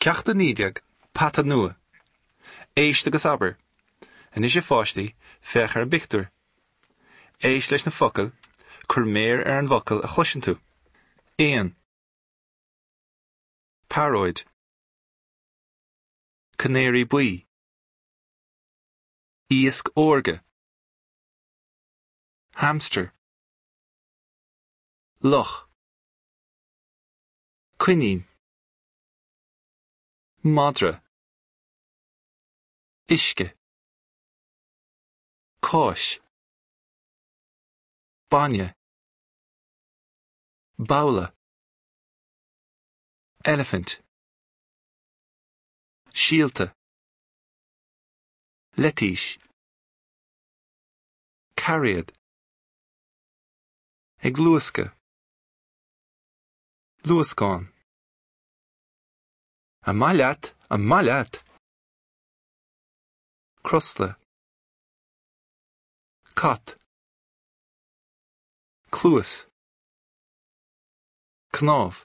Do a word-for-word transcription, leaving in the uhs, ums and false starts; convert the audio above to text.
Ceacht a naoi déag, Peata nua. Éist agus abair. Anois a pháistí, féach ar an bpictiúr. Éist leis na focail, cuir méar ar an bhfocal a chloiseann tú. Éan. Pearóid. Canáraí buí. Iasc órga. Hamster. Luch. Coinín. Madra. Uisce. Cáis. Bainne. Babhla. Elephant. Síolta. Leitís. Cairéad. Ag luascadh. Luascán. An maith leat, an maith leat. Crosta. Cat. Cluas. Cnámh.